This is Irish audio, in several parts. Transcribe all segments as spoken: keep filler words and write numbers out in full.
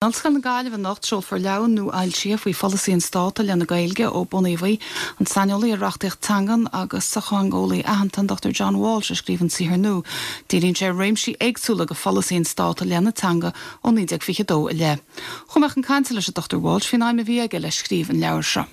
In Ollscoil na Gaillimhe anocht seolfar leabhar nua-fhoilsithe faoi pholasaí an Stáit i leith na Gaeilge ó bunaíodh í. An saineolaí ar reachtaíocht teangan agus sochtheangeolaí aitheanta an Dochtúir John Walsh a scríobh an saothar nua. Díríonn sé ar réimsí éagsúla de pholasaí an Stáit i leith na teanga ó naoi déag fiche dó i leith. Chuaigh mé chun cainte leis an Dochtúir Walsh faoin aidhm a bhí aige le scríobh an leabhair seo.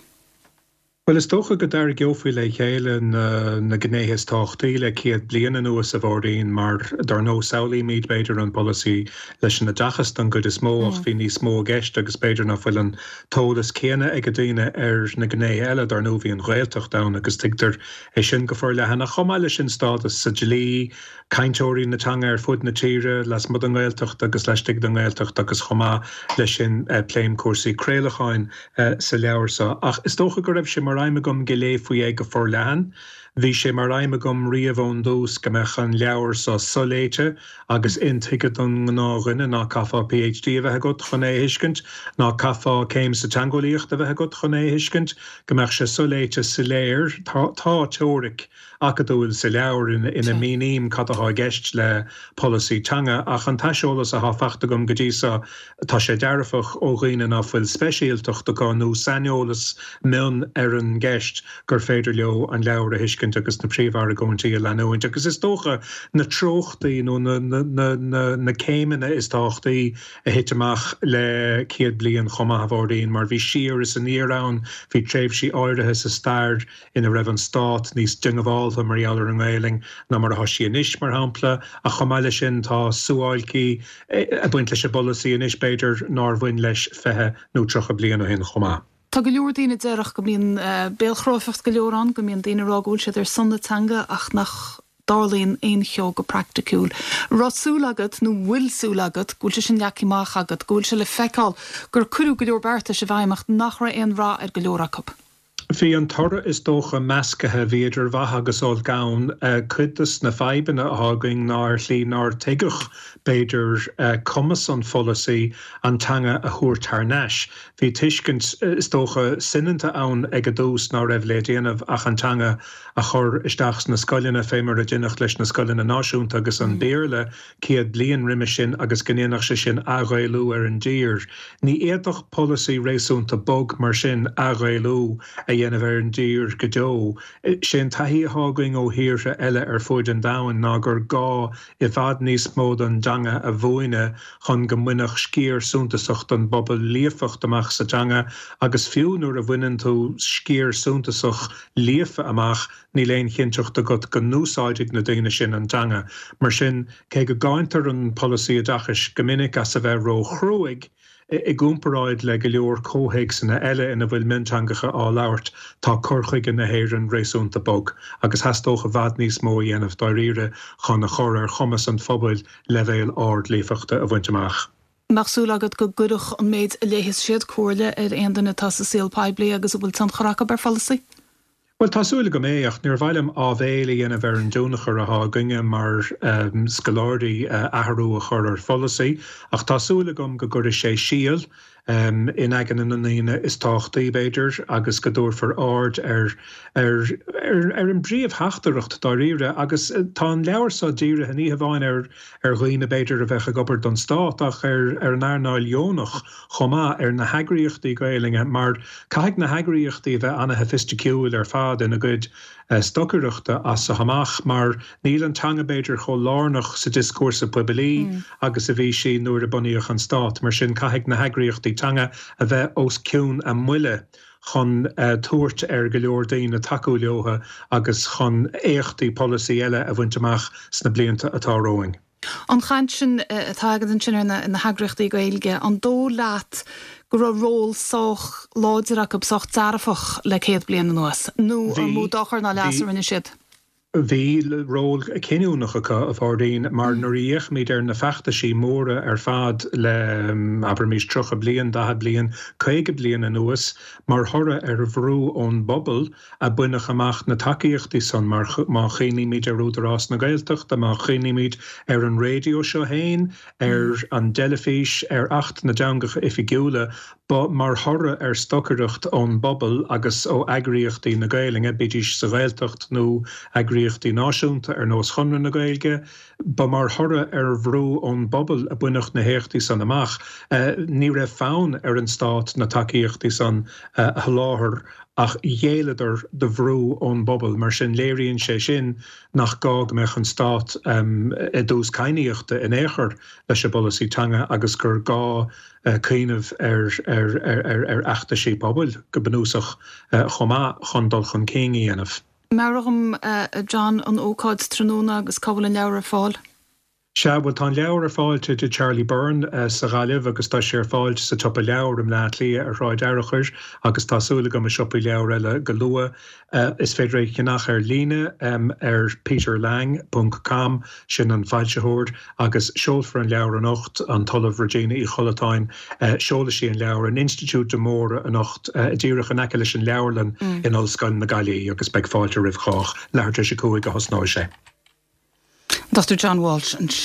Well is dócha go dtarraingeofaí le chéile na, na gnéithe is tábhachtaí le céad bliain anuas a Mháirín mar dar ndóigh samhlaímid b'fhéidir an polasaí leis an oideachas don gcuid is mó ach bhí níos mó i gceist agus b'fhéidir nach bhfuil an t-eolas céanna ag daoine ar na gnéithe eile dar ndóigh bhí an Ghaeltacht ann agus tuigtear é sin go forleathan ach chomh maith leis sin stádas sa dlí, cainteoirí na teanga ar fud na tíre lasmuigh den Ghaeltacht agus laistigh den Ghaeltacht agus chomh maith leis sin eh, pléim cúrsaí craolacháin eh, sa leabhar seo. Ach is dócha go raibh sé mar aidhm agam go léifí é go forleathan. Bhí sé mar aidhm agam riamh ón dtús go mbeadh an leabhar seo soléite agus intuigthe don ngnáthdhuine ná caithfeá PhD a bheith agat chun é a thuiscint, ná caithfeá céim sa teangeolaíocht a bheith agat chun é a thuiscint, go mbeadh sé soléite soiléir tá, tá teoiric acadúil sa leabhar ina, ina míním cad atá i gceist le polasaí teanga ach an t-aiseolas atá faighte agam go dtí seo tá sé dearfach ó dhaoine nach bhfuil speisialtacht acu nó saineolas mion ar an gceist gur féidir leo an leabhar a thuiscint agus na príomhargóintí a leanúint agus is dócha na treochtaí nó na, na, na, na, na céimeanna is tábhachtaí a thit amach le céad bliain chomh maith a Mháirín mar bhí siar is aniar ann bhí tréimhsí áirithe sa stair ina raibh an stát níos diongbháilte mar gheall ar an nGaeilge ná mar atá sí anois mar shampla ach chomh maith leis sin tá suáilcí ag baint leis an bpolasaí anois b'fhéidir nár bhain leis fiche nó tríocha bliain ó shin chomh maith. Tá go leor daoine déarfadh go mbíonn béalchráifeacht go leor ann go mbíonn daoine ag rá go bhfuil siad ar son na teanga ach nach dtarlaíonn aon cheo go praiticiúil. Raibh súil agat nó bhfuil súil agat go bhfuil sé sin leagtha amach agat, go bhfuil sé le feiceáil gur cuireadh go leor beartais i bhfeidhm ach nach raibh aon rath ar go leor acu. Bhí an toradh is dócha measctha bhí idir mhaith agus olc ann cuid de na fadhbanna atá againn ná ar shlí nár tuigeadh b'fhéidir cumas an pholasaí an teanga a thabhairt thar n-ais. Bhí tuiscint is dócha soineanta ann ag an dtús ná raibh le déanamh ach an teanga a chur isteach sna scoileanna fé mar a deineadh leis na scoileanna náisiúnta agus an Béarla céad bliain roimhe sin agus go ndéanfadh sé sin athghaelú ar an dtír. Ní fhéadfadh polasaí réasúnta bog mar sin athghaelú a dhéanamh ar an dtír go deo. Sé an taithí atá againn ó thíortha eile ar fud an domhain ná gur gá i bhfad níos mó don teanga a mhúineadh chun go mbainfeadh sciar suntasach den bpobal líofacht amach sa teanga agus fiú nuair a bhaineann tú sciar suntasach líofa amach níl aon chinnteacht agat go n-úsáidfidh na daoine sin an teanga. Mar sin cé go gcáintear an polasaí oideachais go minic as a bheith róchruaidh i gcomparáid le go leor comhthéacsanna eile ina bhfuil mionteangacha á labhairt tá cur chuige na hÉireann réasúnta bog agus theastódh i bhfad níos mó a dhéanamh dáiríre chun a chur ar chumas an phobail leibhéal ard líofachta a bhaint amach. Mbeadh súil agat go gcuirfeadh an méid a léifeas siad comhairle ar aon duine atá sa saol poiblí agus a bhfuil tionchar acu ar pholasaí? Well tá súil agam é ach níor mhaith liom áibhéil a dhéanamh ar an tionchar atá againne mar um, scoláirí uh, athrú a chur ar pholasaí, ach tá súil agam go gcuirfidh sé síol um, in aigne na ndaoine is tábhachtaí b'fhéidir agus go dtabharfar aird ar ar ar, ar an bpríomhtheachtaireacht dáiríre agus tá an leabhar seo dírithe ní hamháin ar ar dhaoine b'fhéidir a bheith ag obair don stát ach ar ar an earnáil dheonach chomh maith ar na heagraíochtaí Gaeilge mar caithfidh na heagraíochtaí bheith an-sofaisticiúil ar fad ina gcuid stocaireachta as amach mar níl an teanga b'fhéidir chomh lárnach sa dioscúrsa poiblí mm. agus a bhí sí nuair a bunaíodh an stát, mar sin caithfidh na heagraíochtaí teanga a bheith os cionn a mbuille chun uh, tabhairt ar go leor daoine tacú leo agus chun éachtaí polasaí eile a bhaint amach sna blianta atá romhainn. An chaint sin atá agat ansin ar na, na heagraíochtaí Gaeilge, an dóigh leat go raibh ról sách láidir acu sách dearfach le céad bliain anuas, nó an mó dochar ná leas a rinne siad? Bhí ról cinniúnach acu a Mháirín mar nuair a fhéachaimid ar na feachtaisí móra ar fad le abraimis tríocha bliain daichead bliain caoga bliain anuas mar thoradh ar bhrú ón bpobal a baineadh amach na tacaíochtaí san mar má chuimhnímid ar Údarás na Gaeltachta má chuimhnímid ar an raidió seo féin ar an teilifís ar Acht na dTeangacha Oifigiúla ba mar thoradh ar stocaireacht ón bpobal agus ó eagraíochtaí na Gaeilge bídís sa Ghaeltacht nó eagraíochtaí eagraíochtaí náisiúnta ar nós Chonradh na Gaeilge, ba mar thoradh ar bhrú ón bpobal a baineadh na héachtaí san amach. Ní raibh fonn ar an stát na tacaíochtaí san a sholáthar ach ghéilleadar do bhrú ón bpobal, mar sin léiríonn sé sin nach gá go mbeadh an stát i dtús cadhnaíochta in aon chor leis an bpolasaí teanga agus gur gá cuimhneamh ar ar fheachtaisí pobail go bunúsach chomh maith chun dul chun cinn a dhéanamh. Meabhraigh dom, a John, an ócáid tráthnóna agus cá bhfuil an leabhar ar fáil? Sea, bhuel tá an leabhar ar fáil i dtigh Charlie Byrne sa Ghaillimh agus tá sé ar fáil sa tSiopa Leabhar i mBleá Cliath ar Shráid Fhearchair agus tá súil agam i siopaí leabhar eile go luath. Is féidir é a cheannach ar líne ar peterlang ponc com, sin an foilsitheoir, agus seolfar an leabhar anocht, an tOllamh Regina Uí Chollatáin, seolfaidh sí an leabhar in Institiúid de Móra anocht, díreach in aice leis an leabharlann in Ollscoil na Gaillimhe agus beidh fáilte roimh chách. Leathuair tar éis a cúig a thosnóidh sé. Dochtúir John Walsh ansin.